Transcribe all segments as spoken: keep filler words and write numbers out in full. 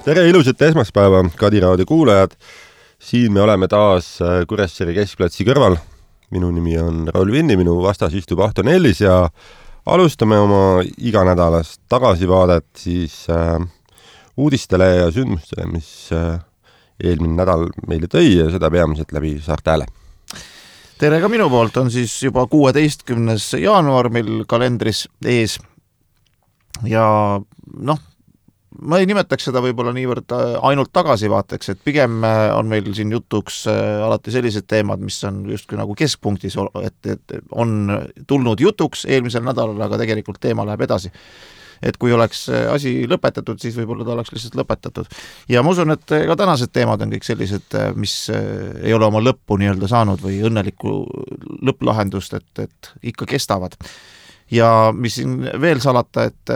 Tere ilusat esmaspäeva, Kadiraadio kuulajad. Siin me oleme taas Kuressaare keskplatsi kõrval. Minu nimi on Raul Vinni, minu vastas istub Ahto Nellis ja alustame oma iganädalast tagasivaadet siis äh, uudistele ja sündmustele, mis äh, eelmine nädal meile tõi ja seda peamiselt läbi Saarte Hääle. Tere ka minu poolt, on siis juba kuueteistkümnes jaanuar meil kalendris ees ja noh, ma ei nimetaks seda võib-olla niivõrd ainult tagasivaateks, et pigem on meil siin jutuks alati sellised teemad, mis on justkui nagu keskpunktis, et, et on tulnud jutuks eelmisel nädalal, aga tegelikult teema läheb edasi. Et kui oleks asi lõpetatud, siis võib-olla ta oleks lihtsalt lõpetatud. Ja ma usun, et ka tänased teemad on kõik sellised, mis ei ole oma lõppu nii-öelda saanud või õnnelikku lõpplahendust, et, et ikka kestavad. Ja mis siin veel salata, et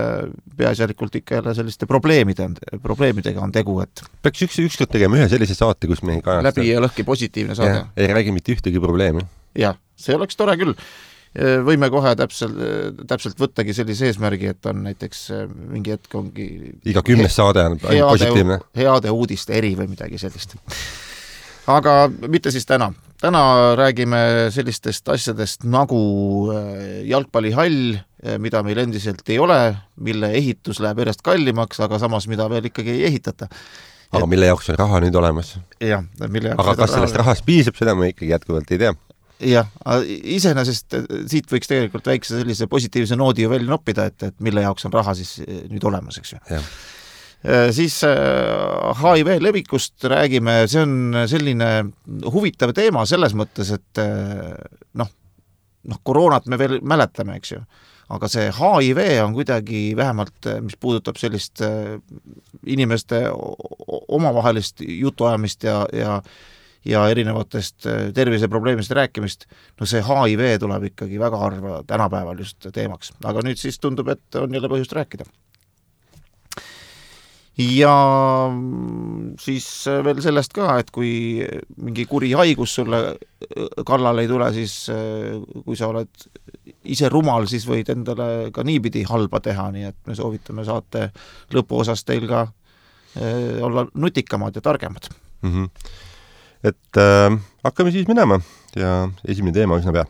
peaasjalikult ikka jälle selliste probleemide, probleemidega on tegu, et peaks üks, ükskord tegema ühe sellise saate, kus me ei kajasta. Läbi ja lõhki positiivne saade. Ja, ei räägi mitte ühtegi probleemi. Jah, see oleks tore küll. Võime kohe täpselt, täpselt võttagi sellise eesmärgi, et on näiteks mingi hetk ongi iga kümnes saade on heade, positiivne. Heade uudiste eri või midagi sellist. Aga mitte siis täna. Täna räägime sellistest asjadest nagu jalgpallihall, mida meil endiselt ei ole, mille ehitus läheb järjest kallimaks, aga samas mida veel ikkagi ei ehitata. Aga et... mille jaoks on raha nüüd olemas? Jah, mille jaoks aga kas raha... sellest rahast piisab, seda me ikkagi jätkuvalt ei tea. Jah, iseenesest siit võiks tegelikult väikse sellise positiivse noodi ju välja noppida, et, et mille jaoks on raha siis nüüd olemas, eks ju. Jah. Siis H I V levikust räägime, see on selline huvitav teema selles mõttes, et noh, noh koroonat me veel mäletame, eks ju, aga see H I V on kuidagi vähemalt, mis puudutab sellist inimeste omavahelist jutuajamist ja, ja, ja erinevatest terviseprobleemist rääkimist, no see H I V tuleb ikkagi väga harva tänapäeval just teemaks, aga nüüd siis tundub, et on jälle põhjust rääkida. Ja siis veel sellest ka, et kui mingi kuri haigus sulle kallale ei tule, siis kui sa oled ise rumal, siis võid endale ka niipidi halba teha, nii et me soovitame saate lõpuosas teil ka olla nutikamad ja targemad. Mm-hmm. Et äh, hakkame siis minema ja esimene teema üsna pea.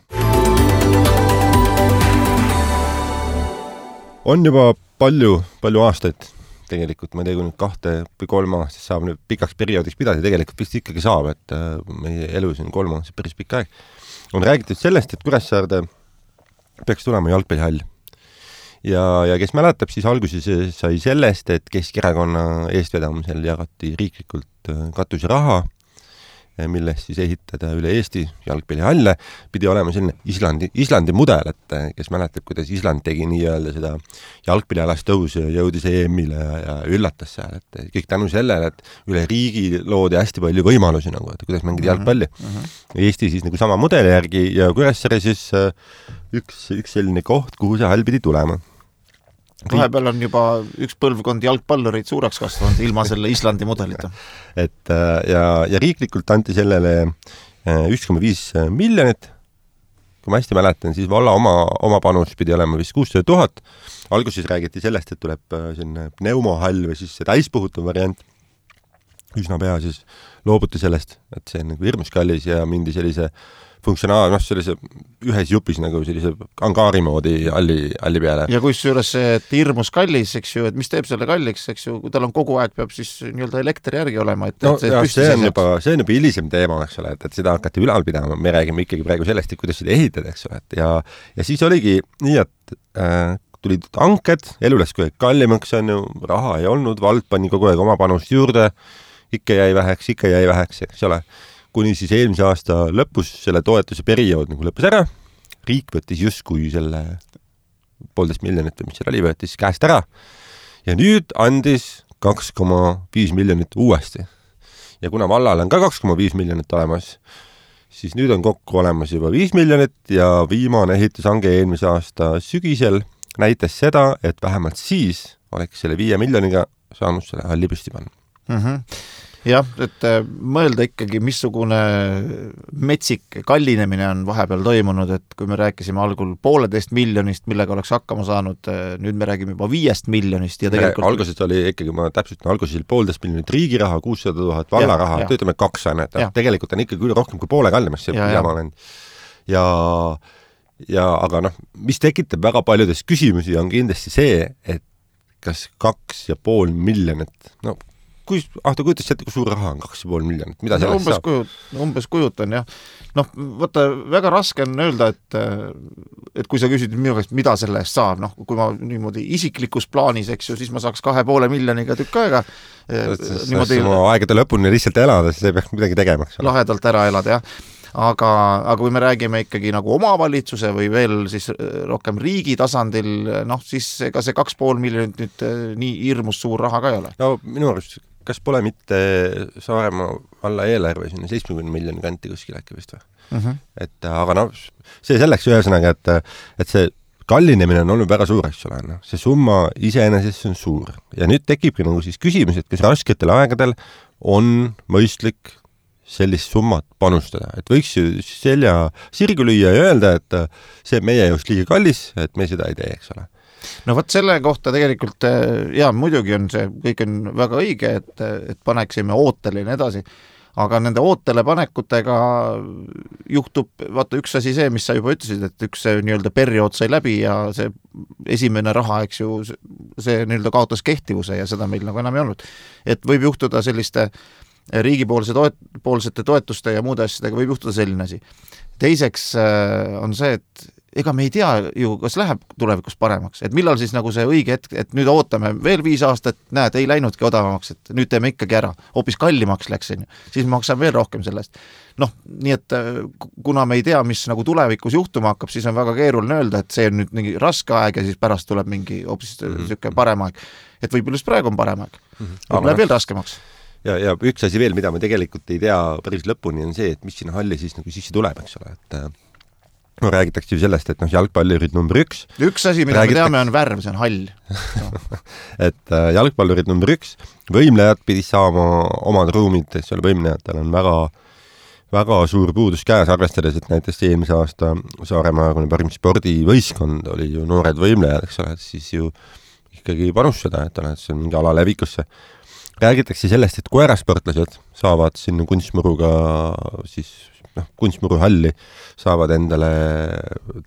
On juba palju, palju aastaid tegelikult, ma ei tea, kui nüüd kahte või kolm aastast saab nüüd pikaks perioodiks pidada, tegelikult vist ikkagi saab, et meie elus on kolm aastast päris pikk aeg. On räägitud sellest, et Kuressaarde peaks tulema jalgpallihall. Ja, ja kes mäletab, siis alguses sai sellest, et Keskerakonna eestvedamisel jagati riiklikult katuse raha, millest siis ehitada üle Eesti jalgpallihalle, pidi olema selline Islandi, Islandi mudel, et kes mäletab, kuidas Island tegi nii-öelda seda jalgpallialast tõusu ja jõudis E M-ile ja, ja üllatas seal, et kõik tänu sellele, et üle riigi loodi hästi palju võimalusi, nagu, et kuidas mängida jalgpalli. Uh-huh. Eesti siis nagu sama mudeli järgi ja Kuressaare siis üks, üks selline koht, kuhu see hall pidi tulema. Vahepeal on juba üks põlvkond jalgpallureid suureks kasvanud ilma selle Islandi mudelita. Et ja, ja riiklikult anti sellele üks koma viis miljonit. Kui ma hästi mäletan, siis valla oma, oma panus pidi olema vist kuussada tuhat. Alguses räägiti sellest, et tuleb selline pneumohall või siis see täispuhutud variant. Üsna pea siis loobuti sellest, et see on nagu hirmus kallis ja mindi sellise funktsionaal, noh, sellise ühes jupis nagu sellise angaari moodi halli, halli peale. Ja kus juures see hirmus kallis, eks ju, et mis teeb selle kalliks, eks ju, kui tal on kogu aeg peab siis nii-öelda elektri järgi olema, et, no, et see, jah, see, on juba, see on juba hilisem teema, eks ole, et, et seda hakati ülal pidama, me räägime ikkagi praegu sellest, et kuidas seda ehitada, eks ole, et ja, ja siis oligi nii, et äh, tulid hanked, elu läks kui kallimaks, on ju, raha ei olnud, vald pani kogu aeg oma panust juurde, ikka jäi väheks, ikka jäi väheks, eks ole. Kuni siis eelmise aasta lõpus selle toetuse periood nagu lõppes ära, riik võttis justkui selle poolteist miljonit, mis seal oli, võttis käest ära ja nüüd andis kaks koma viis miljonit uuesti. Ja kuna vallal on ka kaks koma viis miljonit olemas, siis nüüd on kokku olemas juba viis miljonit ja viimane ehitushange eelmise aasta sügisel näitas seda, et vähemalt siis oleks selle viie miljoniga saanud selle halli püsti panna. Mhm. jah, et mõelda ikkagi, missugune metsik kallinemine on vahepeal toimunud, et kui me rääkisime algul pooleteist miljonist, millega oleks hakkama saanud, nüüd me räägime juba viiest miljonist ja tegelikult... Alguses oli ikkagi, ma täpselt alguses oli poolteist miljonit riigi raha, kuussada tuhat valla raha, töötame kaks ainult, tegelikult on ikkagi üle rohkem kui poole kallimast see jama läinud. Ja, ja aga noh, mis tekitab väga paljudes küsimusi on kindlasti see, et kas kaks ja pool miljonit, no kui, ah, ta kujutas seda, kui suur raha on kaks ja pool miljonit, mida sellest umbes saab? Kujut, umbes kujutan, jah. Noh, võtta, väga raske on öelda, et, et kui sa küsid minu käest, mida selle eest saab, noh, kui ma niimoodi isiklikus plaanis, eks ju, siis ma saaks kahe poole miljoniga tükk aega. Niimoodi oma aegade lõpuni lihtsalt elada, siis ei peaks midagi tegema. Lahedalt ära elada, jah. Aga, aga kui me räägime ikkagi nagu omavalitsuse või veel siis rohkem riigi tasandil, noh, siis ega see kaks pool miljonit nüüd nii hirmus suur raha ka ei ole. No minu arust, kas pole mitte Saaremaa valla eelarve sinna seitsmekümne miljoni kanti kuskil äkki vist või? Uh-huh. Et, aga noh, see selleks ühesõnaga, et, et see kallinemine on olnud väga suur, eks ole, no. See summa iseenesest on suur. Ja nüüd tekibki nagu siis küsimus, et kas rasketel aegadel on mõistlik sellist summat panustada, et võiks ju selja sirgu lüüa ja öelda, et see meie just liiga kallis, et me seda ei tee, eks ole. No võt selle kohta tegelikult, jaa, muidugi on see, kõik on väga õige, et, et paneksime ootele ja nii edasi, aga nende ootele panekutega juhtub, vaata üks asi see, mis sa juba ütlesid, et üks see nii-öelda periood sai läbi ja see esimene raha, eks ju, see nii-öelda kaotas kehtivuse ja seda meil nagu enam ei olnud. Et võib juhtuda selliste riigipoolse toet, poolsete toetuste ja muude asjadega võib juhtuda selline asi. Teiseks on see, et ega me ei tea ju, kas läheb tulevikus paremaks, et millal siis nagu see õige hetk, et nüüd ootame veel viis aastat, näed, ei läinudki odavamaks, et nüüd teeme ikkagi ära, hoopis kallimaks läks, siis maksab veel rohkem sellest. Noh, nii et kuna me ei tea, mis nagu tulevikus juhtuma hakkab, siis on väga keeruline öelda, et see on nüüd mingi raske aeg ja siis pärast tuleb mingi hoopis mm-hmm. siuke parem aeg. Et võib-olla just praegu on parem aeg, mm-hmm. läheb veel raskemaks. Ja, ja üks asi veel, mida me tegelikult ei tea päris lõpuni, on see, et mis sinna halli siis nagu sisse tuleb, eks ole, et no, räägitakse ju sellest, et noh, jalgpallurid number üks. Üks asi, mida räägitakse... me teame, on värv, see on hall. No. et äh, jalgpallurid number üks, võimlejad pidis saama omad ruumid, et seal võimlejatel on väga, väga suur puudus käes, arvestades, et näiteks eelmise aasta Saaremaa parim spordivõistkond oli ju noored võimlejad, eks ole, et siis ju ikkagi panustada, et ole, et see on mingi ala levikusse. Räägitakse sellest, et koerasportlased saavad sinna kunstmuruga siis noh, kunstmuru halli saavad endale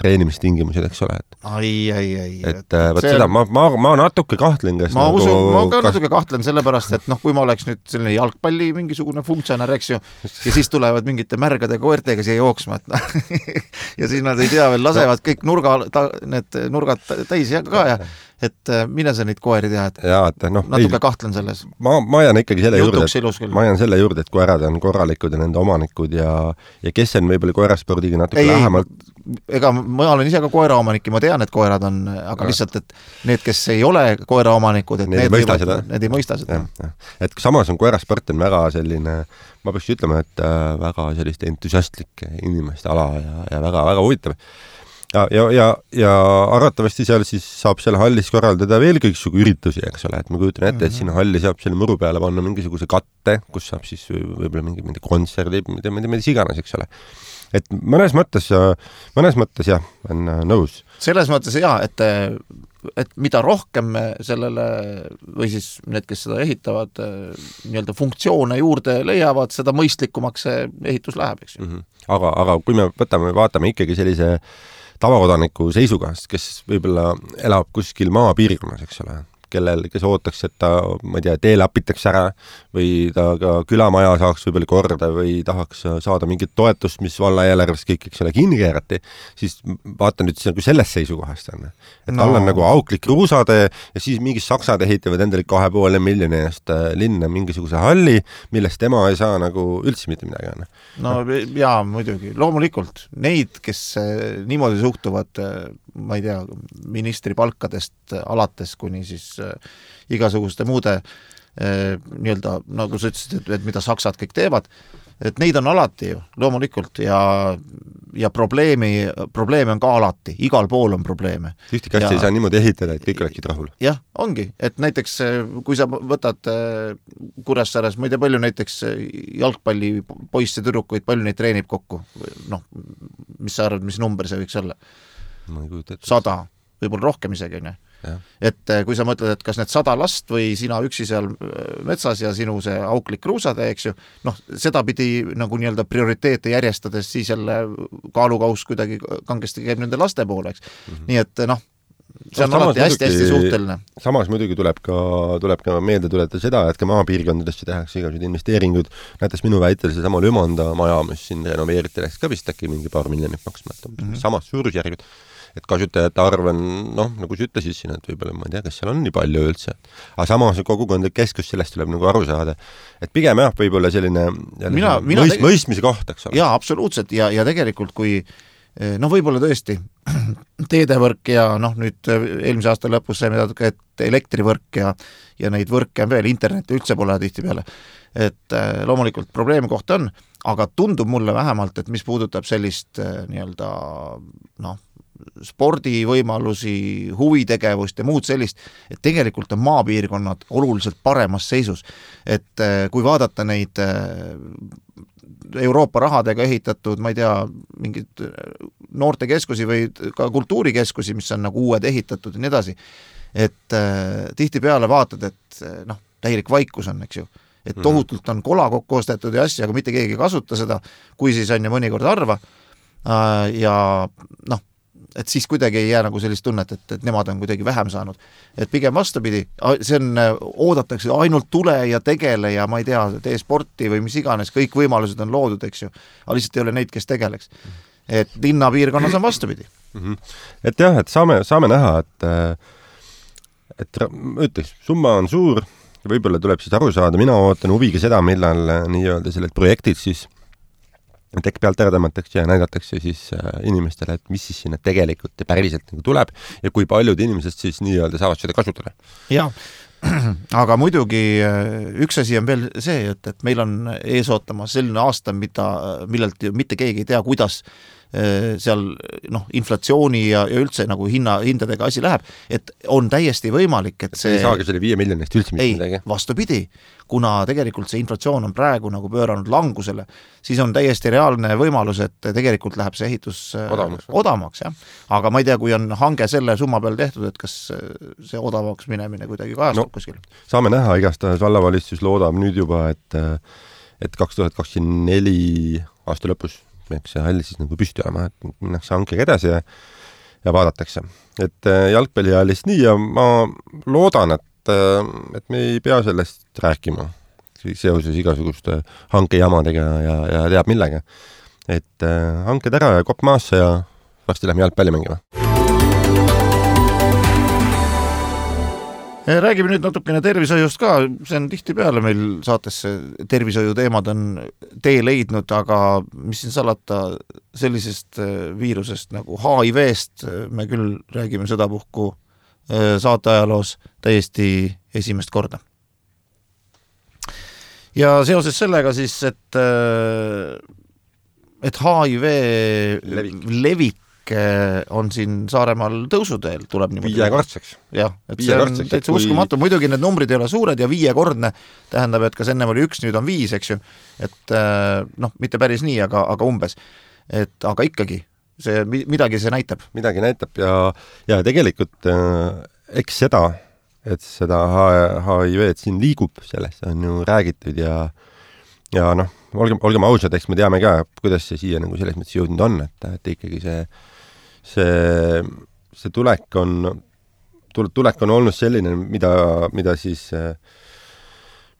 treenimistingimused, eks ole. Et, ai, ai, ai. Et, et võt see... seda, ma, ma, ma natuke kahtlen, kes ma nagu... usun, ma ka kas... natuke kahtlen sellepärast, et noh, kui ma oleks nüüd selline jalgpalli mingisugune funktsionär, eks ju, ja siis tulevad mingite märgade koertega siia jooksma, et noh, ja siis nad ei tea veel, lasevad kõik nurga, ta, need nurgad täis ja ka ja et mine sa neid koeri teha, et ja, et noh, natuke ei, kahtlen selles. Ma, ma jään ikkagi selle juurde, et, ma jään selle juurde, et koerad on korralikud ja nende omanikud ja, ja kes on võib-olla koeraspordiga natuke ei, lähemalt. Ega ma olen ise ka koeraomanik ja ma tean, et koerad on, aga ja. Lihtsalt, et need, kes ei ole koeraomanikud, et need, need, mõista võivad, need ei mõista seda. Ja, ja. Et samas on koerasport on väga selline, ma peaks ütlema, et äh, väga sellist entusiastlik inimeste ala ja, ja väga, väga huvitav. Ja, ja, ja, ja arvatavasti seal siis saab selle hallis korraldada veel kõiksugu üritusi, eks ole, et ma kujutan ette, et sinna halli saab selle muru peale panna mingisuguse katte, kus saab siis võib-olla mingi, mingi kontserdi, mida, mida, mida iganes, eks ole. Et mõnes mõttes, mõnes mõttes jah, on nõus. Selles mõttes jah, et, et mida rohkem sellele, või siis need, kes seda ehitavad, nii-öelda funktsioone juurde leiavad, seda mõistlikumaks see ehitus läheb, eks ju. Mm-hmm. Aga, aga kui me võtame, vaatame ikkagi sellise tavakodaniku seisukohast, kes võib-olla elab kuskil maapiirkonnas, eks ole, kellel, kes ootaks, et ta, ma ei tea, teele apitaks ära või ta ka külamaja saaks võib-olla korda või tahaks saada mingit toetust, mis valla eelarvest kõik, eks ole, kinni keerati, siis vaata nüüd nagu sellest seisukohast on. Et no. Tal on nagu auklik kruusade ja siis mingid saksad ehitavad endale kahe poole miljoni eest linna mingisuguse halli, millest tema ei saa nagu üldse mitte midagi on. No jaa, muidugi. Loomulikult neid, kes niimoodi suhtuvad, ma ei tea, ministri palkadest alates kuni siis igasuguste muude nii-öelda, nagu sa ütlesid, et, et mida saksad kõik teevad, et neid on alati ju, loomulikult, ja, ja probleemi, probleeme on ka alati, igal pool on probleeme. Ühti kasti ei saa niimoodi ehitada, et kõik oleksid rahul. Jah, ongi, et näiteks kui sa võtad Kuressaares, ma ei tea, palju näiteks jalgpalli poisse tüdrukuid, palju neid treenib kokku, noh, mis sa arvad, mis number see võiks olla? Sada, võib-olla rohkem isegi, ne? Ja. Et kui sa mõtled, et kas need sada last või sina üksi seal metsas ja sinu see auklik kruusade, eks ju, noh, seda pidi nagu nii-öelda prioriteete järjestades siis jälle kaalukaus kuidagi kangesti käib nende laste poole, eks. Mm-hmm. Nii et noh, see on no, alati hästi-hästi suhteline. Samas muidugi tuleb ka, tuleb ka meelde tuleta seda, et ka maapiirkondadesse tehakse igasugused investeeringud, näiteks minu väitel see sama Lümanda maja, mis siin renoveeriti, läks ka vist äkki mingi paar miljonit maksma, et mm-hmm. samas suurusjärgud. Et kasutajate arv on, noh, nagu sa ütlesid siin, et võib-olla ma ei tea, kas seal on nii palju üldse. Aga samas kogukondlik keskus sellest tuleb nagu aru saada. Et pigem jah, võib-olla selline mina, mina mõist, tege... mõistmise koht, eks ole. Jaa, absoluutselt, ja, ja tegelikult kui noh, võib-olla tõesti teedevõrk ja noh, nüüd eelmise aasta lõpus saime teada, et elektrivõrk ja, ja neid võrke on veel, interneti üldse pole tihti peale. Et loomulikult probleemi kohta on, aga tundub mulle vähemalt, et mis puudutab sellist nii-öelda noh, spordivõimalusi, huvitegevust ja muud sellist, et tegelikult on maapiirkonnad oluliselt paremas seisus. Et kui vaadata neid Euroopa rahadega ehitatud, ma ei tea, mingid noortekeskusi või ka kultuurikeskusi, mis on nagu uued ehitatud ja nii edasi, et tihti peale vaatad, et noh, täielik vaikus on, eks ju. Et tohutult on kola kokku ostetud ja asja, aga mitte keegi ei kasuta seda, kui siis on ju mõnikord harva. Ja noh, et siis kuidagi ei jää nagu sellist tunnet, et, et nemad on kuidagi vähem saanud. Et pigem vastupidi, see on, oodatakse ainult tule ja tegele ja ma ei tea, tee sporti või mis iganes, kõik võimalused on loodud, eks ju. Aga lihtsalt ei ole neid, kes tegeleks. Et linnapiirkonnas on vastupidi. Mm-hmm. Et jah, et saame, saame näha, et, et ütleks, summa on suur, võib-olla tuleb siis aru saada, mina ootan huviga seda, millal nii-öelda selled projektid siis tekk pealt ära tõmmatakse ja näidatakse siis inimestele, et mis siis sinna tegelikult ja päriselt nagu tuleb ja kui paljud inimesed siis nii-öelda saavad seda kasutada. Jaa, aga muidugi üks asi on veel see, et, et meil on ees ootama selline aasta, mida, millelt mitte keegi ei tea, kuidas seal noh, inflatsiooni ja, ja üldse nagu hinna, hindadega asi läheb, et on täiesti võimalik, et see ei saagi selle viie miljonist üldse mitte midagi. Ei, vastupidi, kuna tegelikult see inflatsioon on praegu nagu pööranud langusele, siis on täiesti reaalne võimalus, et tegelikult läheb see ehitus odavamaks, odavamaks jah. Aga ma ei tea, kui on hange selle summa peal tehtud, et kas see odavamaks minemine kuidagi kajastub no, kuskil. Saame näha, igastahes vallavalitsus loodab nüüd juba, et, et kaks tuhat kakskümmend neli aasta lõpus eks see hall siis nagu püsti olema, et minnakse hankega edasi ja, ja vaadatakse. Et jalgpallihallist nii ja ma loodan, et, et me ei pea sellest rääkima seoses igasuguste hankejamadega ja, ja teab millega. Et hanked ära ja kopp maasse ja varsti lähme jalgpalli mängima. Räägime nüüd natukene tervishoiust ka, see on tihti peale meil saatesse tervishoiu teemad on tee leidnud, aga mis siin salata sellisest viirusest nagu H I V-st, me küll räägime seda puhku saateajaloos täiesti esimest korda. Ja seoses sellega siis, et, et H I V levik, levik on siin Saaremaal tõusuteel, tuleb niimoodi. Viiekordseks. Jah, et see on täitsa kui... uskumatu. Muidugi need numbrid ei ole suured ja viiekordne tähendab, et kas ennem oli üks, nüüd on viis, eks ju. Et noh, mitte päris nii, aga, aga umbes. Et, aga ikkagi, see, midagi see näitab. Midagi näitab ja, ja tegelikult eks seda, et seda H I V-d siin liigub, sellest on ju räägitud ja ja noh, olgem, olgem ausad, eks me teame ka, kuidas see siia nagu selles mõttes jõudnud on, et, et ikkagi see see, see tulek on tulek on olnud selline, mida, mida siis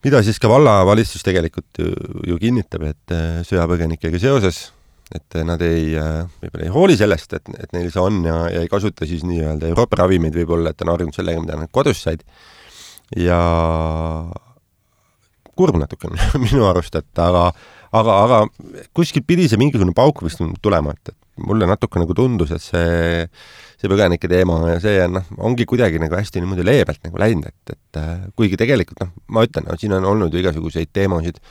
mida siis ka vallavalitsus tegelikult ju, ju kinnitab, et sõjapõgenikega seoses, et nad ei, võib-olla ei hooli sellest, et, et neil see on ja, ja ei kasuta siis nii-öelda Euroopa ravimeid võib-olla, et on harjunud sellega, mida nad kodus said ja kurb natuke minu arust, et aga, aga, aga kuskil pidi see mingisugune pauk vist tulema, et mulle natuke nagu tundus, et see, see põgenike teema ja see no, ongi kuidagi nagu hästi niimoodi leebelt nagu läinud, et, et kuigi tegelikult, noh, ma ütlen, no, siin on olnud ju igasuguseid teemasid,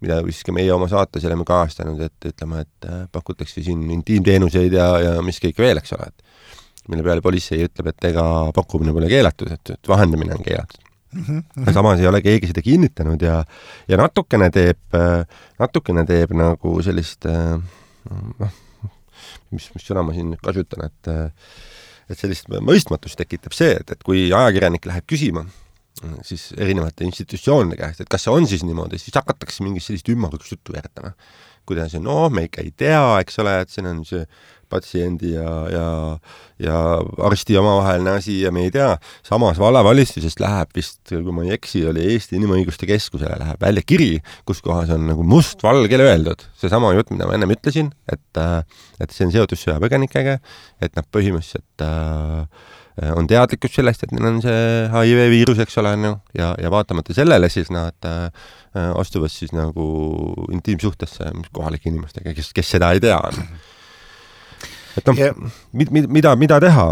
mida vist ka meie oma saates oleme kajastanud, et ütleme, et pakutakse siin intiimteenuseid ja, ja mis kõik veel, eks ole, et mille peale politsei ütleb, et ega pakkumine pole keelatud, et, et vahendamine on keelatud. Mm -hmm. Samas ei ole keegi seda kinnitanud ja, ja natukene teeb, natukene teeb nagu sellist, noh, mis, mis sõna ma siin kasutan, et, et sellist mõistmatust tekitab see, et, et kui ajakirjanik läheb küsima, siis erinevate institutsioonide käest, et kas see on siis niimoodi, siis hakatakse mingit sellist ümmargust juttu veeretama. Kuidas on, no me ikka ei tea, eks ole, et siin on see patsiendi ja, ja, ja arsti omavaheline asi ja me ei tea. Samas vallavalitsusest läheb vist, kui ma ei eksi, oli Eesti Inimõiguste Keskusele läheb välja kiri, kus kohas on nagu must-valgele öeldud. See sama jutt, mida ma ennem ütlesin, et, et see on seotud sõjapõgenikega, et nad põhimõtteliselt äh, on teadlikkus sellest, et neil on see H I V viirus, eks ole, no, ja, ja vaatamata sellele siis nad äh, astuvad siis nagu intiimsuhtesse kohalike inimestega, kes, kes seda ei tea. Et noh, ja, mid, mida, mida teha?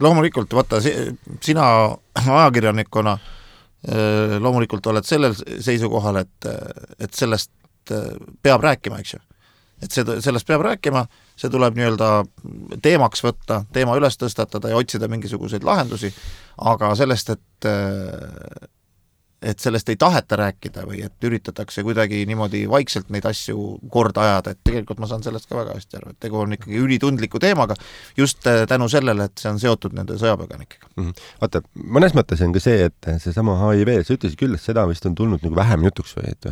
Loomulikult, vaata, sina ajakirjanikuna loomulikult oled sellel seisukohal, et, et sellest peab rääkima, eks ju. Et see, sellest peab rääkima, see tuleb nii-öelda teemaks võtta, teema üles tõstatada ja otsida mingisuguseid lahendusi, aga sellest, et et sellest ei taheta rääkida või et üritatakse kuidagi niimoodi vaikselt neid asju korda ajada, et tegelikult ma saan sellest ka väga hästi aru, et tegu on ikkagi ülitundliku teemaga just tänu sellele, et see on seotud nende sõjapõgenikega. Mm -hmm. Vaata, mõnes mõttes on ka see, et see sama H I V, sa ütlesid küll, et seda vist on tulnud nagu vähem jutuks või et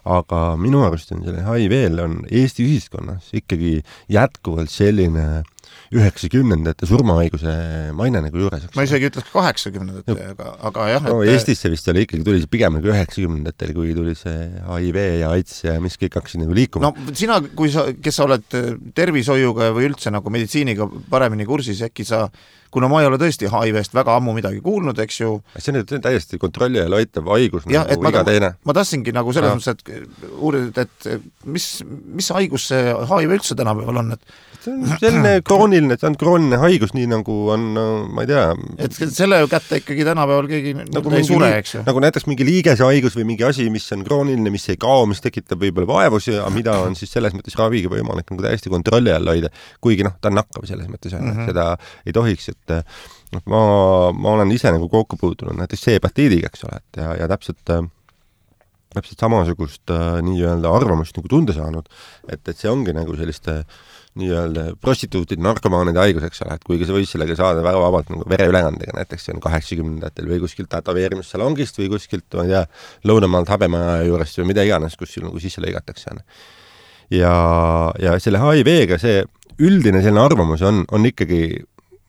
aga minu arust on selle H I V-l on Eesti ühiskonnas ikkagi jätkuvalt selline üheksakümnendate surmahaiguse maine nagu juures. Ma isegi ütleks kaheksakümnendate, no, aga, aga jah. No, et Eestisse vist oli ikkagi, tuli see pigem nagu üheksakümnendatel, kui tuli see H I V ja AIDS ja mis kõik hakkasid nagu liikuma. No sina, kui sa, kes sa oled tervishoiuga või üldse nagu meditsiiniga paremini kursis, äkki sa, kuna ma ei ole tõesti H I V-st väga ammu midagi kuulnud, eks ju. See on nüüd täiesti kontrolli ja loitav haigus ja, nagu iga teine. Ma tahtsingi nagu selles mõttes, et uurida, et mis, mis haigus see H I V üldse tänapäeval on, et see on selline krooniline, see on krooniline haigus, nii nagu on, ma ei tea. Et selle kätte ikkagi tänapäeval keegi nagu ei sure, eks ju. Nagu näiteks mingi liigese haigus või mingi asi, mis on krooniline, mis ei kao, mis tekitab võib-olla vaevusi, aga mida on siis selles mõttes raviga võimalik nagu täiesti kontrolli all hoida, kuigi noh, ta on nakkav selles mõttes, mm -hmm. seda ei tohiks, et noh, ma, ma olen ise nagu kokku puutunud näiteks C-hepatiidiga, eks ole, et ja, ja täpselt täpselt samasugust äh, nii-öelda arvamust nagu tunda saanud, et, et see ongi nagu selliste nii-öelda prostituutide, narkomaanide haigus, eks ole, et kuigi sa võis sellega saada väga vabalt nagu vereülekandega, näiteks see on kaheksakümnendatel või kuskilt tätoveerimissalongist või kuskilt, ma ei tea, Lõunamaalt Habemaja juurest või mida iganes, kus sul nagu sisse lõigatakse. Ja, ja selle H I V-ga see üldine selline arvamus on, on ikkagi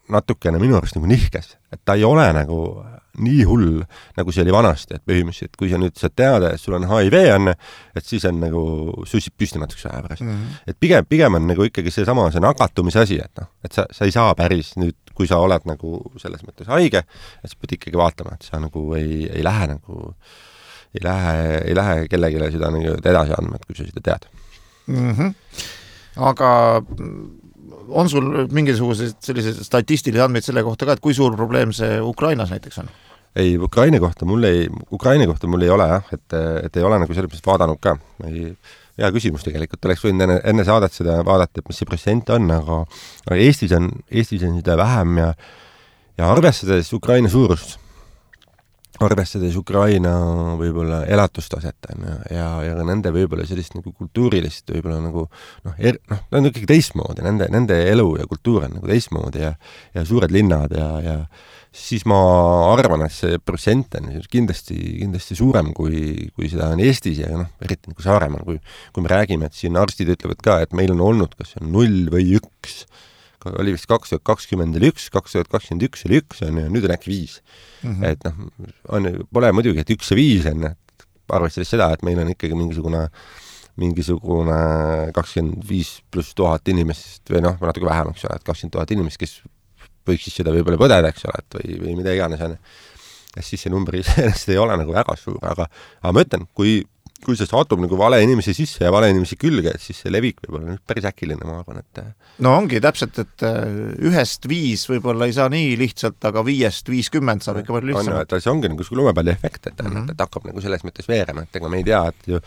natukene minu arust nagu nihkes, et ta ei ole nagu nii hull, nagu see oli vanasti, et põhimõtteliselt, kui sa nüüd saad teada, et sul on H I V on, et siis on nagu sussid püsti natukese aja pärast. Mm -hmm. Et pigem, pigem on nagu ikkagi see sama, see nakatumise asi, et noh, et sa, sa ei saa päris nüüd, kui sa oled nagu selles mõttes haige, et sa pead ikkagi vaatama, et sa nagu ei, ei lähe nagu, ei lähe, ei lähe kellegile seda nagu edasi andma, et kui sa seda tead. Mm -hmm. Aga on sul mingisugused sellised statistilisi andmeid selle kohta ka, et kui suur probleem see Ukrainas näiteks on? Ei, Ukraina kohta mul ei, Ukraina kohta mul ei ole jah, et, et ei ole nagu selles mõttes vaadanud ka. Ei, hea küsimus tegelikult, oleks võinud enne, enne saadet seda vaadata, et mis see protsent on, aga, aga Eestis on, Eestis on seda vähem ja, ja arvestades Ukraina suurust, arvestades Ukraina võib-olla elatustaset ja, ja, ja nende võib-olla sellist nagu kultuurilist võib-olla nagu noh, er, noh, ta on ikkagi teistmoodi, nende, nende elu ja kultuur on nagu teistmoodi ja, ja suured linnad ja, ja siis ma arvan, et see protsent on kindlasti, kindlasti suurem, kui, kui seda on Eestis ja noh, eriti nagu Saaremaal, kui, kui me räägime, et siin arstid ütlevad ka, et meil on olnud kas on null või üks, oli vist kaks tuhat kakskümmend oli üks, kaks tuhat kakskümmend üks oli üks, on, ja nüüd on äkki viis. Mm -hmm. Et noh, on, pole muidugi, et üks ja viis on, et arvestades seda, et meil on ikkagi mingisugune mingisugune kakskümmend viis pluss tuhat inimest või noh, natuke vähem, eks ole, et kakskümmend tuhat inimest, kes võiks siis seda võib-olla põdeda, eks ole, et või, või mida iganes on. Ja siis see number iseenesest ei ole nagu väga suur, aga, aga ma ütlen, kui kui see satub nagu vale inimesi sisse ja vale inimesi külge, et siis see levik võib olla päris äkiline, ma arvan, et no ongi täpselt, et ühest viis võib-olla ei saa nii lihtsalt, aga viiest viiskümmend saab ikka palju lihtsamalt. On, see ongi nagu lumepalli efekt, et, mm -hmm. et hakkab nagu selles mõttes veerema, et ega me ei tea, et ju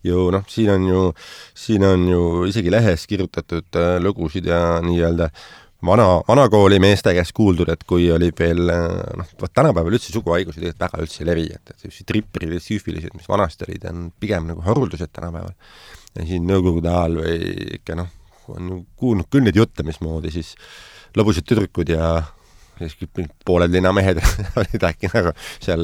ju noh, siin on ju, siin on ju isegi lehes kirjutatud äh, lugusid ja nii-öelda vana, vanakooli meeste käest kuuldud, et kui oli veel, noh, vaat tänapäeval üldse suguhaigusi tegelikult väga üldse ei levi, et, et tripperid ja süüfilised, mis vanasti olid, on pigem nagu haruldused tänapäeval. Ja siin nõukogude ajal või ikka noh, on ju kuulnud küll neid jutte, mismoodi siis lõbused tüdrukud ja siis pooled linnamehed olid äkki nagu seal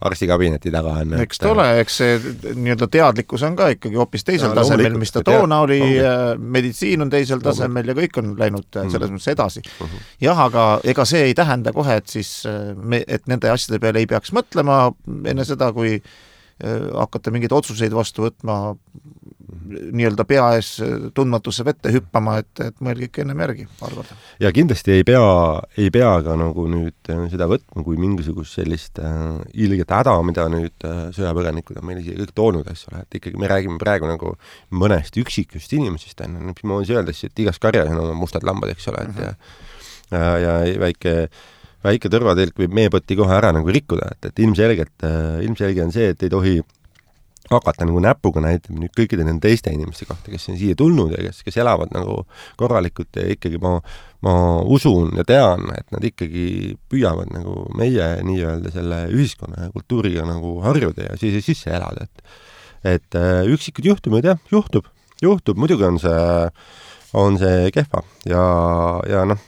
arstikabineti taga. Eks ta ole, eks see nii-öelda teadlikkus on ka ikkagi hoopis teisel ja, tasemel, mis ta toona oli, meditsiin on teisel tasemel ja kõik on läinud selles mõttes edasi. Uh-huh. Jah, aga ega see ei tähenda kohe, et siis me, et nende asjade peale ei peaks mõtlema enne seda, kui hakata mingeid otsuseid vastu võtma, nii-öelda pea ees tundmatusse vette hüppama, et, et mõelge ikka ennem järgi paar korda. Ja kindlasti ei pea, ei pea ka nagu nüüd seda võtma kui mingisugust sellist äh, ilget häda, mida nüüd äh, sõjapõgenikud on meil ise kõik toonud, eks ole, et ikkagi me räägime praegu nagu mõnest üksikust inimesest, mis ma võin öelda, et igas karjas on oma mustad lambad, eks ole, et ja, ja, ja väike väike tõrvatilk võib meepõtti kohe ära nagu rikkuda, et, et ilmselgelt, ilmselge on see, et ei tohi hakata nagu näpuga näitama nüüd kõikide nende teiste inimeste kohta, kes on siia tulnud ja kes, kes elavad nagu korralikult ja ikkagi ma, ma usun ja tean, et nad ikkagi püüavad nagu meie nii-öelda selle ühiskonna ja kultuuriga nagu harjuda ja siis sisse elada, et et üksikud juhtumid, jah, juhtub, juhtub, muidugi on see, on see kehva ja, ja noh,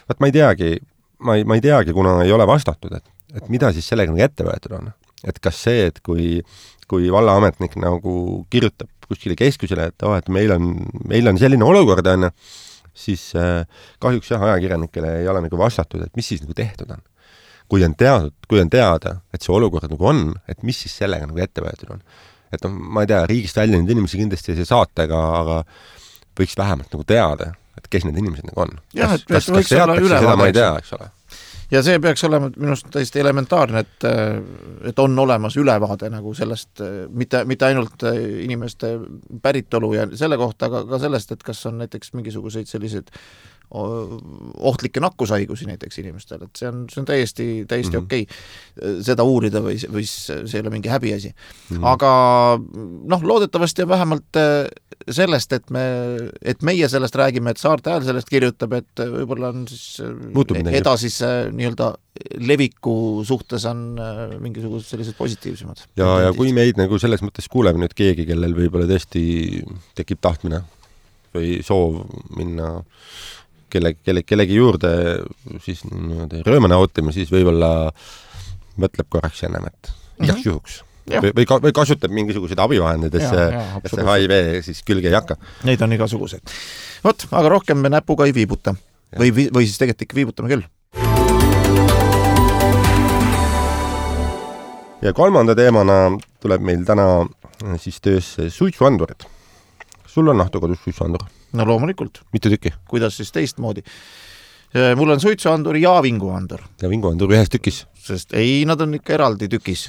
vaat ma ei teagi, ma ei, ma ei teagi, kuna ei ole vastatud, et, et mida siis sellega nagu ette võetud on. Et kas see, et kui, kui vallaametnik nagu kirjutab kuskile keskusele, et, oh, et meil, on, meil on selline olukord, on, siis äh, kahjuks jah, ajakirjanikele ei ole nagu vastatud, et mis siis nagu tehtud on. Kui on, teadud, kui on teada, et see olukord nagu on, et mis siis sellega nagu ette võetud on. Et no, ma ei tea, riigist välja nüüd inimesi kindlasti ei see saatega, aga võiks vähemalt nagu teada, et kes need inimesed nagu on. Ja, kas, kas, kas teatakse seda, ma ei tea, eks ole. Ja see peaks olema minust täiesti elementaarne, et, et on olemas ülevaade nagu sellest, mitte, mitte ainult inimeste päritolu ja selle kohta, aga ka sellest, et kas on näiteks mingisuguseid selliseid ohtlikke nakkushaigusi näiteks inimestel, et see on, see on täiesti, täiesti mm-hmm. okei seda uurida või, või see ei ole mingi häbiasi. Mm-hmm. Aga noh, loodetavasti on vähemalt sellest, et, me, et meie sellest räägime, et Saarte Hääl sellest kirjutab, et võib-olla on siis edasis nii-öelda leviku suhtes on mingisugused sellised positiivsemad. Ja, ja kui meid nagu selles mõttes kuuleb nüüd keegi, kellel võib-olla tõesti tekib tahtmine või soov minna kelle, kelle, kellegi juurde siis rõõma nautima, siis võib-olla mõtleb korraks ennem, et igaks mm-hmm. juhuks. Või, või, ka, või kasutab mingisuguseid abivahendeid, et see, et see H I V siis külge ei hakka. Neid on igasuguseid. Vot, aga rohkem me näpuga ei viibuta. Või, või siis tegelikult ikka viibutame küll. Ja kolmanda teemana tuleb meil täna siis töösse suitsuandurid. Sul on nahtukodus suitsuandur? No loomulikult. Mitu tükki? Kuidas siis teistmoodi? Mul on suitsuandur ja vinguandur. Ja vinguandur ühes tükis? Sest ei, nad on ikka eraldi tükis.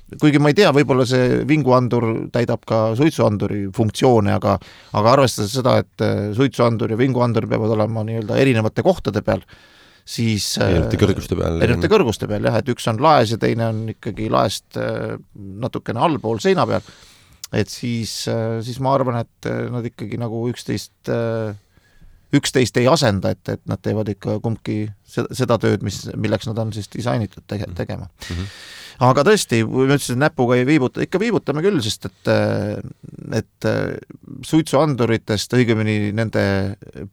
Kuigi ma ei tea, võib-olla see vinguandur täidab ka suitsuanduri funktsioone, aga, aga arvestades seda, et suitsuandur ja vinguandur peavad olema nii-öelda erinevate kohtade peal, siis erinevate kõrguste peal. Erinevate kõrguste peal, jah, et üks on laes ja teine on ikkagi laest natukene allpool seina peal. Et siis, siis ma arvan, et nad ikkagi nagu üksteist, üksteist ei asenda, et, et nad teevad ikka kumbki seda, seda tööd, mis, milleks nad on siis disainitud tege, tegema. Mm-hmm. Aga tõesti, kui me ütlesin, näpuga ei viibuta, ikka viibutame küll, sest et, et suitsuanduritest, õigemini nende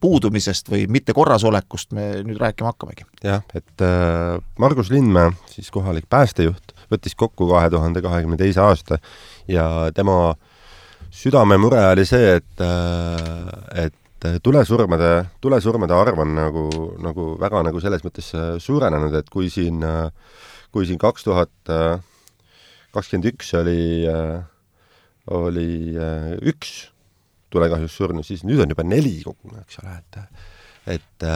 puudumisest või mitte korrasolekust me nüüd rääkima hakkamegi. Jah, et äh, Margus Lindmäe, siis kohalik päästejuht, võttis kokku kahe tuhande kahekümne teise aasta ja tema südamemure oli see, et, et tulesurmade, tulesurmade arv on nagu, nagu väga nagu selles mõttes suurenenud, et kui siin, kui siin kaks tuhat kakskümmend üks oli, oli üks tulekahjus surnud, siis nüüd on juba neli kogune, eks ole, et, et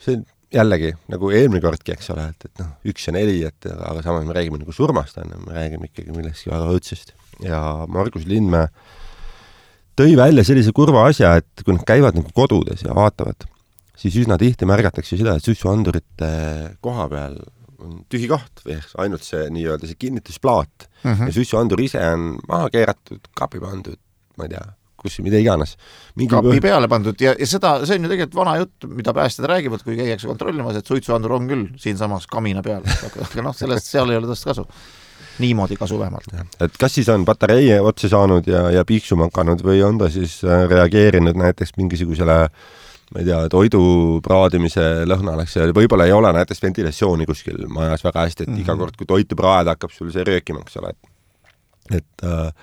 see jällegi, nagu eelmine kordki, eks ole, et, et noh, üks ja neli, et aga samas me räägime nagu surmast, me räägime ikkagi millestki väga õudsest. Ja Margus Lindmäe tõi välja sellise kurva asja, et kui nad käivad nagu kodudes ja vaatavad, siis üsna tihti märgatakse seda, et suitsuandurite koha peal on tühi koht või ainult see nii-öelda see kinnitusplaat mm -hmm. ja suitsuandur ise on maha keeratud, kapi pandud, ma ei tea, kus mida iganes. Mingi kapi põh... peale pandud ja, ja seda, see on ju tegelikult vana jutt, mida päästjad räägivad, kui käiakse kontrollimas, et suitsuandur on küll siinsamas kamina peal, aga noh, sellest seal ei ole tõst kasu. Niimoodi kasu vähemalt. Et kas siis on patarei otsa saanud ja, ja piiksuma hakanud või on ta siis reageerinud näiteks mingisugusele ma ei tea, toidu praadimise lõhnaleks ja võib-olla ei ole näiteks ventilatsiooni kuskil majas väga hästi, et mm -hmm. iga kord, kui toitu praada, hakkab sul see röökima, eks ole. Et, äh,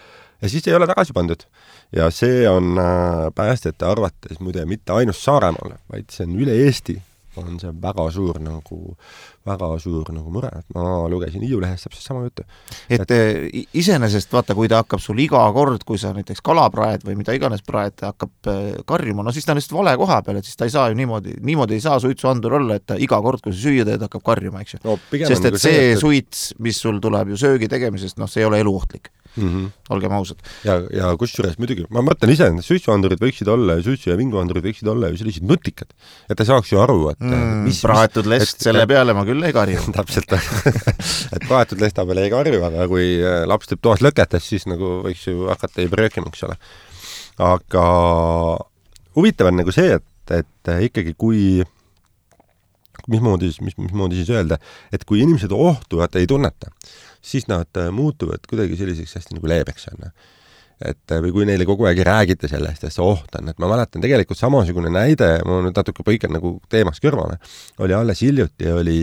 ja siis ei ole tagasi pandud. Ja see on äh, päästjate arvates muide mitte ainult Saaremaal, vaid see on üle Eesti on see väga suur nagu, väga suur nagu mure. Et ma lugesin Hiiu lehest täpselt sama juttu. Et, et iseenesest vaata, kui ta hakkab sul iga kord, kui sa näiteks kalapraed või mida iganes praed, hakkab karjuma, no siis ta on lihtsalt vale koha peal, et siis ta ei saa ju niimoodi, niimoodi ei saa suitsuandur olla, et ta iga kord, kui sa süüa teed, hakkab karjuma, eks ju. No, sest et see, see et... suits, mis sul tuleb ju söögi tegemisest, noh, see ei ole eluohtlik. Mm -hmm. Olgem ausad. Ja, ja kusjuures muidugi, ma mõtlen ise, et suitsuandurid võiksid olla ja suitsu- ja vinguandurid võiksid olla ju sellised nutikad, et ta saaks ju aru, et mm, mis, praetud lest et, selle peale ma küll ei karju. Täpselt, et praetud lesta peale ei karju, aga kui laps teeb toas lõketes, siis nagu võiks ju hakata ei pröökima, eks ole. Aga huvitav on nagu see, et, et ikkagi kui mismoodi, mis, mismoodi siis öelda, et kui inimesed ohtuvad ei tunneta, siis nad muutuvad kuidagi selliseks hästi nagu leebeks on. Et või kui neile kogu aeg ei räägita sellest, et see oht on, et ma mäletan tegelikult samasugune näide, ma nüüd natuke põikan nagu teemast kõrvale, oli alles hiljuti, oli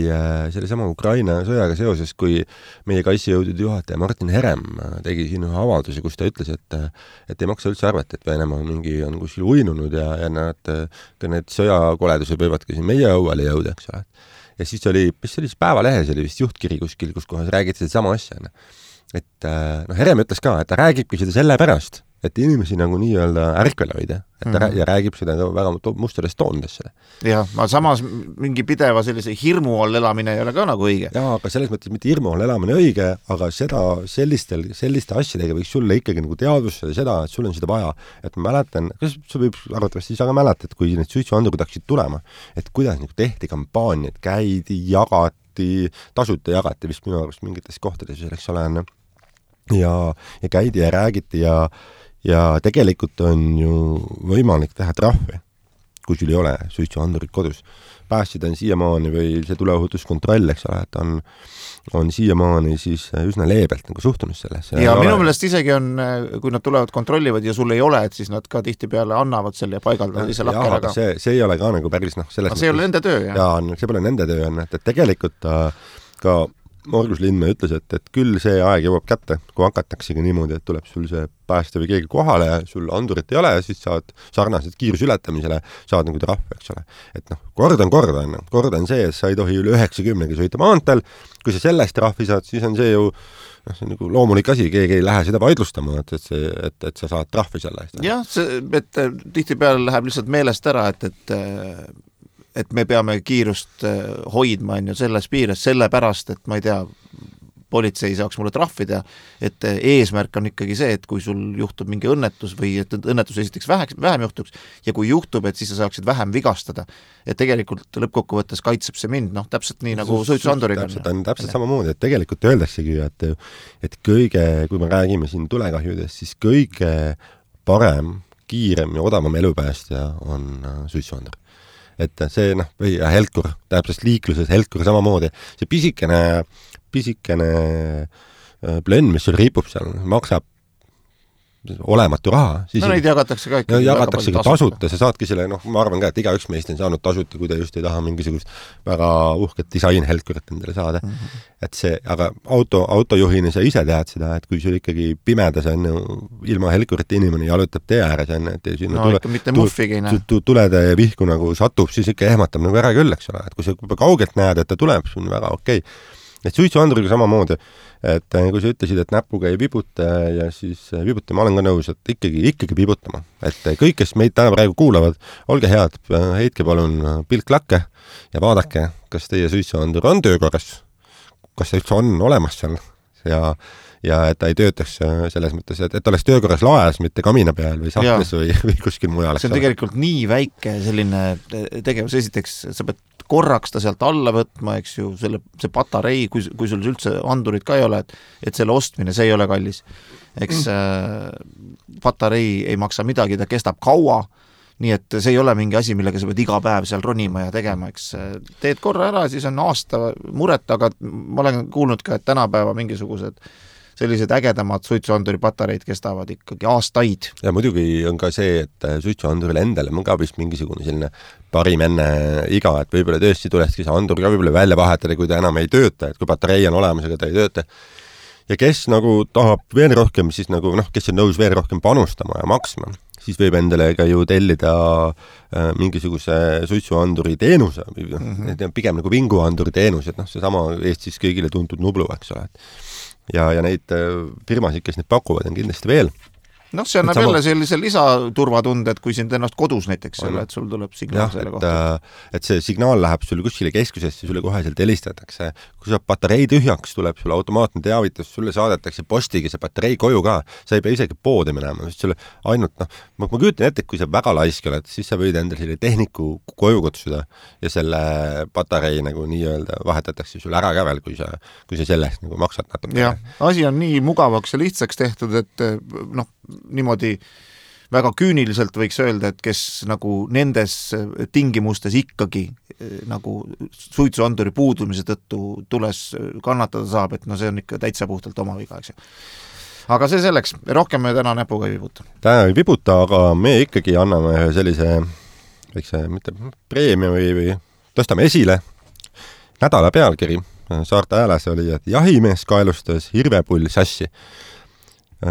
selle sama Ukraina sõjaga seoses, kui meie kaitsejõudude juhataja Martin Herem tegi siin ühe avalduse, kus ta ütles, et, et ei maksa üldse arvata, et Venemaa mingi on kuskil uinunud ja, ja nad, ka need sõjakoledused võivad ka siin meie õuele jõuda, eks ole. Ja siis oli, mis oli siis Päevalehes, oli vist juhtkiri kuskil, kus kohas räägiti seda sama asja. Et noh, Herem ütles ka, et ta räägibki seda selle pärast, et inimesi nagu nii-öelda ärkvele hoida, et ta mm-hmm. ja räägib seda ka väga mustades toondes seda. Jah, ma samas mingi pideva sellise hirmu all elamine ei ole ka nagu õige. Jaa, aga selles mõttes mitte hirmu all elamine õige, aga seda sellistel, selliste asjadega võiks sulle ikkagi nagu teadvustada seda, et sul on seda vaja. Et ma mäletan, kas sa võib arvatavasti siis aga mäletad, kui need suitsuandurid hakkasid tulema, et kuidas nagu tehti kampaaniad, käidi, jagati, tasuta jagati vist minu arust mingites kohtades, eks ole, ja, ja käidi ja räägiti ja ja tegelikult on ju võimalik teha trahvi, kui sul ei ole suitsuandurid kodus. Päästjad on siiamaani või see tuleohutuskontroll, eks ole, et on, on siiamaani siis üsna leebelt nagu suhtunud sellesse. Ja minu meelest isegi on, kui nad tulevad kontrollivad ja sul ei ole, et siis nad ka tihtipeale annavad selle ja paigaldavad ise lakkele. Aga see, see ei ole ka nagu päris noh, selles aga see ei ole nende töö, jah? Jaa, see pole nende töö, et tegelikult ka Margus Lindmäe ütles, et, et küll see aeg jõuab kätte, kui hakataksegi niimoodi, et tuleb sul see pääste või keegi kohale ja sul andurit ei ole ja siis saad sarnaselt kiirusületamisele, saad nagu trahv, eks ole. Et noh, kord on kord on, kord on see, et sa ei tohi üle üheksakümnegi sõita maantel, kui sa sellest trahvi saad, siis on see ju noh, see on nagu loomulik asi, keegi ei lähe seda vaidlustama, et, et, see, et, et sa saad trahvi selle eest. Jah, see, et tihtipeale läheb lihtsalt meelest ära, et, et et me peame kiirust hoidma on ju selles piires, sellepärast, et ma ei tea, politsei saaks mulle trahvida, et eesmärk on ikkagi see, et kui sul juhtub mingi õnnetus või et õnnetus esiteks vähem, vähem juhtuks ja kui juhtub, et siis sa saaksid vähem vigastada. Et tegelikult lõppkokkuvõttes kaitseb see mind, noh, täpselt nii nagu suitsuanduriga. Täpselt on täpselt samamoodi, et tegelikult öeldaksegi, et, et kõige, kui me räägime siin tulekahjudest, siis kõige parem, kiirem ja odavam elupäästja on suitsuandur. Et see, noh, või helkur, täpselt liikluses helkur samamoodi, see pisikene, pisikene plönn, mis sul riipub seal, maksab olematu raha. No neid jagatakse ka ikka. Jagatakse ka tasuta, sa saadki selle, noh, ma arvan ka, et igaüks meist on saanud tasuta, kui ta just ei taha mingisugust väga uhket disainhelkurit endale saada. Mm -hmm. Et see, aga auto, autojuhina sa ise tead seda, et kui sul ikkagi pimedas on ilma helkurite inimene jalutab tee ääres, on, et sinna no, tule, mitte muffigi, tu, tulede ja vihku nagu satub, siis ikka ehmatab nagu ära küll, eks ole, et kui sa kaugelt näed, et ta tuleb, see on väga okei. Et suitsuanduriga samamoodi, et kui sa ütlesid, et näpuga ei vibuta ja siis vibuta, ma olen ka nõus, et ikkagi, ikkagi vibutama. Et kõik, kes meid täna praegu kuulavad, olge head, heitke palun pilk lakke ja vaadake, kas teie suitsuandur on töökorras, kas see üldse on olemas seal ja, ja et ta ei töötaks selles mõttes, et, et oleks töökorras laes, mitte kamina peal või sahtlis või, või kuskil mujal. See on tegelikult nii väike selline tegevus, esiteks sa pead korraks ta sealt alla võtma, eks ju, selle, see patarei, kui, kui sul üldse andurid ka ei ole, et, et selle ostmine, see ei ole kallis. Eks äh, patarei ei maksa midagi, ta kestab kaua, nii et see ei ole mingi asi, millega sa pead iga päev seal ronima ja tegema, eks teed korra ära, siis on aasta muret, aga ma olen kuulnud ka, et tänapäeva mingisugused sellised ägedamad suitsuanduri patareid kestavad ikkagi aastaid. Ja muidugi on ka see, et suitsuanduril endale on ka vist mingisugune selline parim enne iga, et võib-olla tõesti tulekski see andur ka võib-olla välja vahetada, kui ta enam ei tööta, et kui patarei on olemas, aga ta ei tööta. Ja kes nagu tahab veel rohkem, siis nagu noh, kes on nõus veel rohkem panustama ja maksma, siis võib endale ka ju tellida äh, mingisuguse suitsuanduri teenuse, mm -hmm. pigem nagu vinguanduri teenus, et noh, see sama Eestis kõigile tuntud Nublu, eks ole. Ja, ja neid firmasid, kes neid pakuvad, on kindlasti veel. Noh, see annab sama... jälle sellise lisaturvatunde, et kui sind ennast kodus näiteks selle, et sul tuleb signaal ja, selle et, kohta. Et see signaal läheb sulle kuskile keskusesse, sulle koheselt helistatakse. Kui sa patarei tühjaks, tuleb sulle automaatne teavitus, sulle saadetakse postiga see patarei koju ka. Sa ei pea isegi poodi minema, sest sulle ainult, noh, ma, ma küütan ette, et kui sa väga laisk oled, siis sa võid endale selle tehniku koju kutsuda ja selle patarei nagu nii-öelda vahetatakse sulle ära ka veel, kui sa, kui sa sellest nagu maksad natuke. Ja, asi on nii mugavaks ja lihtsaks tehtud, et noh, niimoodi väga küüniliselt võiks öelda, et kes nagu nendes tingimustes ikkagi nagu suitsuanduri puudumise tõttu tules kannatada saab, et no see on ikka täitsa puhtalt oma viga, eks ju. Aga see selleks, rohkem me täna näpuga ei vibuta. Täna ei vibuta, aga me ikkagi anname ühe sellise väikse, mitte preemia või, või tõstame esile nädala pealkiri. Saarte Hääles oli, et jahimees kaelustas hirvepull sassi.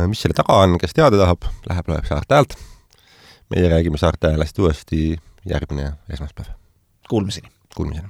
Mis selle taga on, kes teada tahab, läheb loeb Saarte Häält. Meie räägime Saarte Häälest uuesti järgmine esmaspäev. Kuulmiseni. Kuulmiseni.